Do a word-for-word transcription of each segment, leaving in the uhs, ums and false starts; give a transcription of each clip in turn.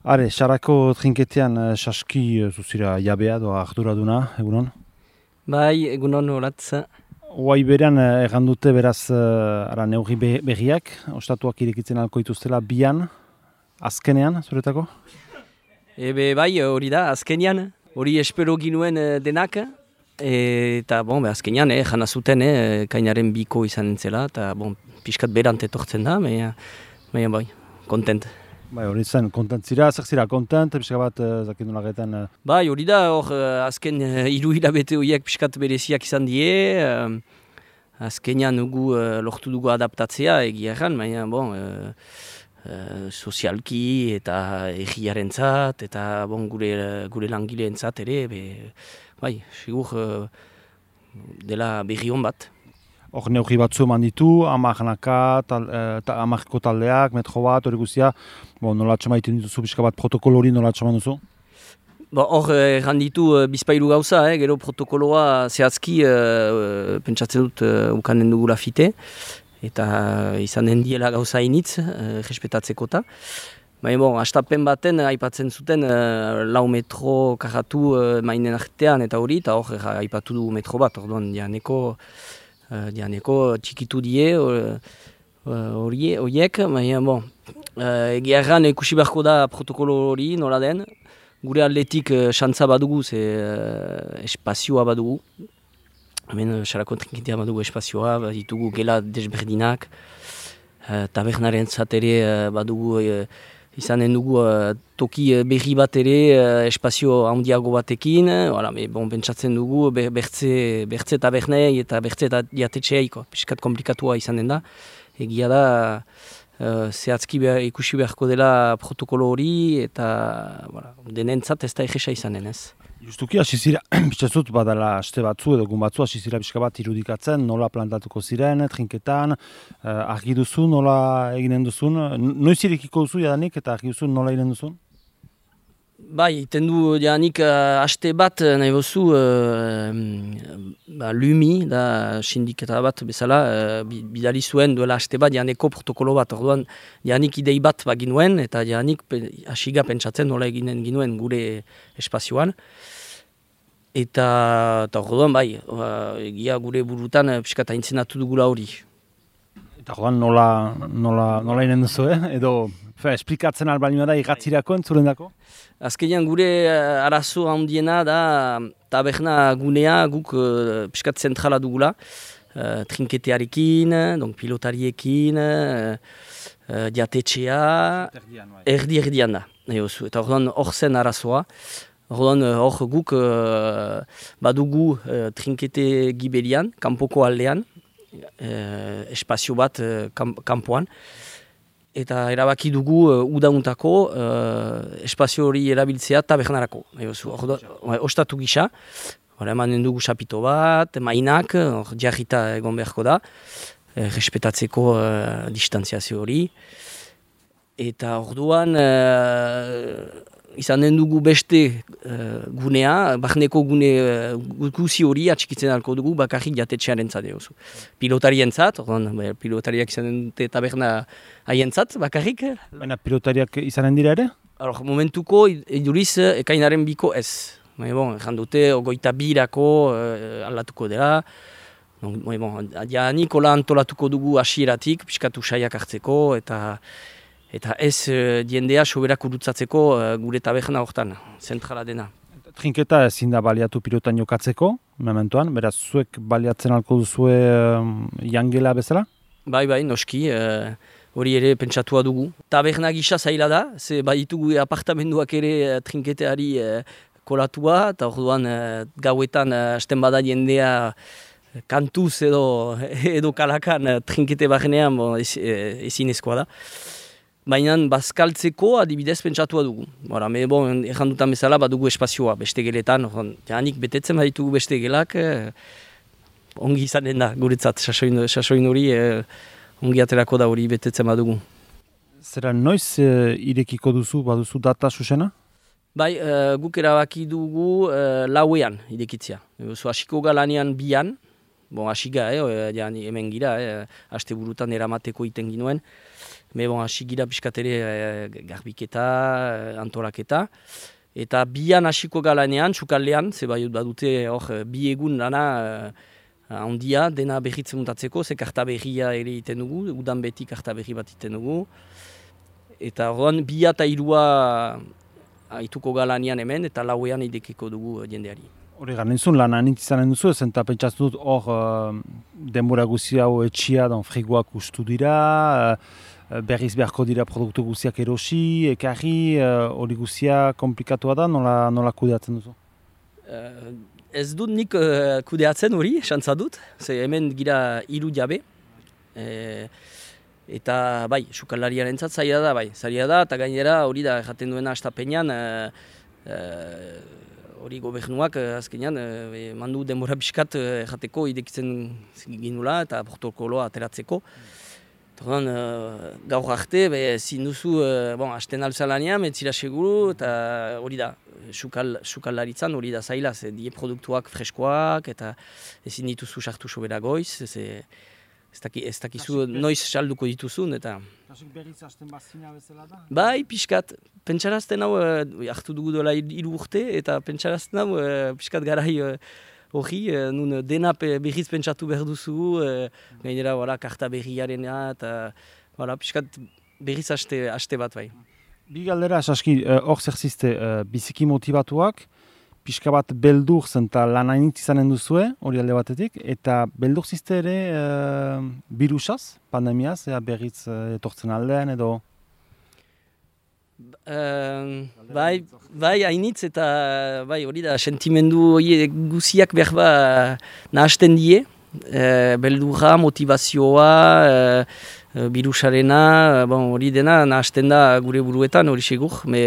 Are, Sarako trinketean uh, saski uh, zuzira jabea doa arduraduna, egunon? Bai, egunon horatz. Oai berean uh, erran dute beraz uh, ara neurri be berriak, ostatuak irekitzen alko dituztela bian, azkenean, zuretako? Ebe bai, hori da, azkenean, hori espero ginuen eh, denak, e, eta bon, be, azkenean, eh, jana zuten, eh, kainaren biko izan entzela, eta bon, pixkat berant etortzen da, baina bai, kontent. Bai, hori zen, kontent zira, zer zira kontent, pixka bat, uh, zakindu lagetan... Uh... Bai, hori da, hor, uh, azken uh, hiru hilabete horiek pixkat bereziak izan die, uh, azkenean nugu uh, lortu dugu adaptatzea, egia erran, baina, bon, uh, uh, sozialki eta egiarentzat, eta bon, gure, gure langileentzat ere, be, bai, sigur uh, dela berri hon bat. Hor neurri batzu eman ditu, amarnaka, tal, ta, amarko taldeak, metro bat, hori guztia, bon, nola txamaiten dituzu, pixka bat protokolo hori nola txaman duzu? Hor erran ditu uh, bizpailu gauza, eh, gero protokoloa zehazki uh, pentsatzen dut uh, ukanen dugula fite, eta izan den diela gauza initz, uh, respetatzeko ta. Baina, bon, astapen baten aipatzen zuten uh, lau metro karatu uh, mainen artean eta hori, eta hor uh, aipatu du metro bat, orduan dianeko, uh, dianeko txikitu die horiek, uh, baina, bon, uh, egia erran ikusi beharko da protokolo hori nola den, gure atletik xantza uh, badugu, ze uh, espazioa badugu. Hemen Sarako trinketea badugu espazioa, ditugu gela desberdinak, uh, tabernaren zatere uh, badugu uh, izanen dugu uh, toki uh, berri bat ere uh, espazio handiago batekin, uh, me, bon, pentsatzen dugu ber, bertze, bertze tabernei eta bertze eta diatetxeaiko, piskat komplikatua izanen da. Egia da, Uh, zehatzki behar, ikusi beharko dela protokolo hori eta voilà, denentzat ez da egesa izanen ez. Justuki hasi zira, bitxatzut badala aste batzu edo gun batzu hasi zira pixka bat irudikatzen, nola plantatuko ziren, trinketan, uh, argi duzu, nola eginen duzun, noiz irekiko duzu jadanik eta argi duzu nola eginen duzun? Bai, iten du jadanik uh, aste bat nahi bozu uh, ba, Lumi, da sindiketa bat bezala, uh, bidali zuen duela aste bat jadaneko protokolo bat, orduan jadanik idei bat baginuen eta jadanik hasiga pentsatzen nola eginen ginuen gure espazioan. Eta, eta orduan bai, uh, egia gure burutan uh, piskat aintzenatu dugula hori. Eta orduan nola, nola, nola eginen duzu, eh? Edo fe, esplikatzen albalima da igatzirako entzulendako? dako? Azkenean gure uh, arazo handiena da taberna gunea guk uh, piskat zentrala dugula, uh, trinketearekin, donc pilotariekin, uh, uh, diatetxea, erdi-erdian da. Eta orduan hor zen arazoa. Orduan hor guk uh, badugu uh, trinkete gibelian, kanpoko aldean, uh, espazio bat uh, kanpoan. Eta erabaki dugu uh, udauntako uh, espazio hori erabiltzea tabernarako. Ostatu gisa, emanen dugu sapito bat, mainak, hor jarrita egon beharko da, eh, respetatzeko uh, distantziazio hori. Eta orduan uh, izanen dugu beste uh, gunea, barneko gune uh, guzi hori atxikitzen alko dugu bakarrik jatetxearen zade. Pilotarien zat, orduan pilotariak izanen dute taberna haien zat bakarrik. Baina pilotariak izanen dira ere? Alor, momentuko iduriz ekainaren biko ez. Baina bon, erran dute ogoita birako uh, aldatuko dela. Bon, jadanik hola antolatuko dugu hasieratik, piskatu saiak hartzeko eta Eta ez uh, diendea soberak urutzatzeko uh, gure taberna hortan, zentrala dena. Trinketa ezin da baliatu pilotan jokatzeko, mementoan, beraz zuek baliatzen alko duzue uh, jangela bezala? Bai, bai, noski, hori uh, ere pentsatua dugu. Taberna gisa zaila da, ze baditugu apartamenduak ere uh, trinketeari uh, kolatua, eta orduan uh, gauetan uh, hasten bada jendea uh, kantuz edo, edo kalakan uh, trinkete barnean bon, ez, ezin ezkoa da. Baina bazkaltzeko adibidez pentsatua dugu. Bora, me bon, erran dutan bezala badugu espazioa beste geletan. Janik betetzen baditugu beste gelak, eh, ongi izanen da guretzat, sasoin hori eh, ongi aterako da hori betetzen badugu. Zera noiz eh, irekiko duzu, baduzu data susena? Bai, eh, guk erabaki dugu eh, lauean irekitzea. Zu hasiko galanean bian, Bon, asiga, eh, ja, hemen gira, eh, aste burutan eramateko iten ginuen. Me bon, asigira piskatere eh, garbiketa, eh, antolaketa. Eta bian hasiko galanean, sukaldean, ze bai badute hor bi egun lana handia, dena berritzen mutatzeko, ze karta berria ere iten dugu, udan beti karta berri bat iten dugu. Eta horren bia eta irua haituko galanean hemen, eta lauean idekiko dugu jendeari. Hori gara, nintzun lan anitz izanen duzu, ezen eta pentsatzen dut hor uh, denbora guzi hau etxia, don frigoak ustu dira, uh, berriz beharko dira produktu guziak erosi, ekarri, hori uh, guzia komplikatua da, nola, nola kudeatzen duzu? Uh, ez dut nik uh, kudeatzen hori, xantza dut, ze hemen gira hiru jabe, e, eta bai, sukaldariaren zat zaila da, bai, zaila da, eta gainera hori da jaten duena astapenean, uh, uh, hori gobernuak azkenean e, mandu denbora pixkat e, jateko idekitzen ginula eta protokoloa ateratzeko. Orduan, e, gaur arte, ezin duzu, e, bon, hasten alzalanean, metzira seguru, eta hori da, sukal, sukaldaritzan hori da zaila, ze die produktuak freskoak, eta ezin dituzu sartu sobera goiz, ze, ez, daki, ez dakizu noiz salduko dituzun, eta... Kasik berriz hasten bazina bezala da? Bai, pixkat. Pentsarazten hau, e, hartu dugu dola hiru urte, eta pentsarazten hau, e, pixkat garai hori, e, nun dena pe, berriz pentsatu behar duzu, e, gainera, wala, karta berriarena, eta wala, pixkat berriz haste, haste bat bai. Bi galdera, Saski, hor zer zizte, biziki motibatuak, pixka bat beldur zen eta lan hainitz izanen duzue, hori alde batetik, eta beldur zizte ere e, birusaz, pandemiaz, ea berriz e, etortzen aldean edo... Uh, bai, bai, hainitz eta bai, hori da, sentimendu hori guziak behar ba nahasten die, e, beldurra, motivazioa, e, birusarena, bon, hori dena nahasten da gure buruetan, hori segur, me...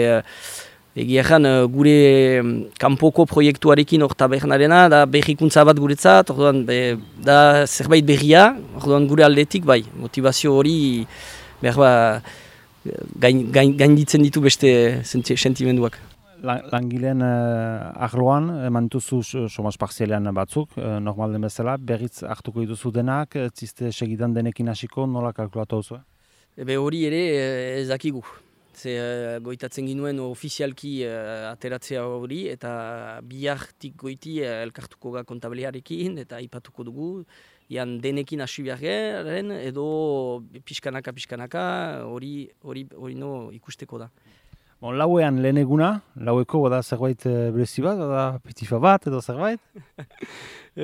Egia ezan, gure kanpoko proiektuarekin hor tabernarena, da berrikuntza bat guretzat, orduan, be, da zerbait berria, orduan gure aldetik, bai, motivazio hori behar ba, gain, gain, gainditzen ditu beste sentimenduak. Langileen uh, arloan, eman dituzu somaz parzialean batzuk, uh, normal den bezala, berriz hartuko dituzu denak, ziste segidan denekin hasiko, nola kalkulatu duzu? Ebe hori ere ez dakigu. Ze uh, goitatzen ginuen ofizialki uh, ateratzea hori, eta bihartik goiti uh, elkartuko ga kontablearekin, eta aipatuko dugu, ian denekin hasi beharren, edo pixkanaka pixkanaka hori hori hori no ikusteko da. Bon, lauean lehen eguna, laueko bada zerbait uh, berezi bat, bada petifa bat edo zerbait?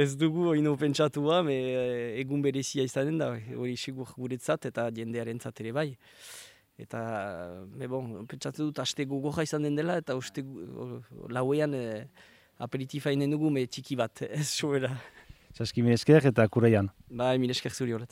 Ez dugu hori no pentsatua, me egun berezia izanen da, hori sigur guretzat eta jendearentzat ere bai. Eta, me bon, pentsatu dut, aste gogorra izan den dela, eta uste lauean e, aperitifa inen dugu, me txiki bat, ez sobera. Saski, mire esker eta kuraian. Bai, mire esker zuri horret.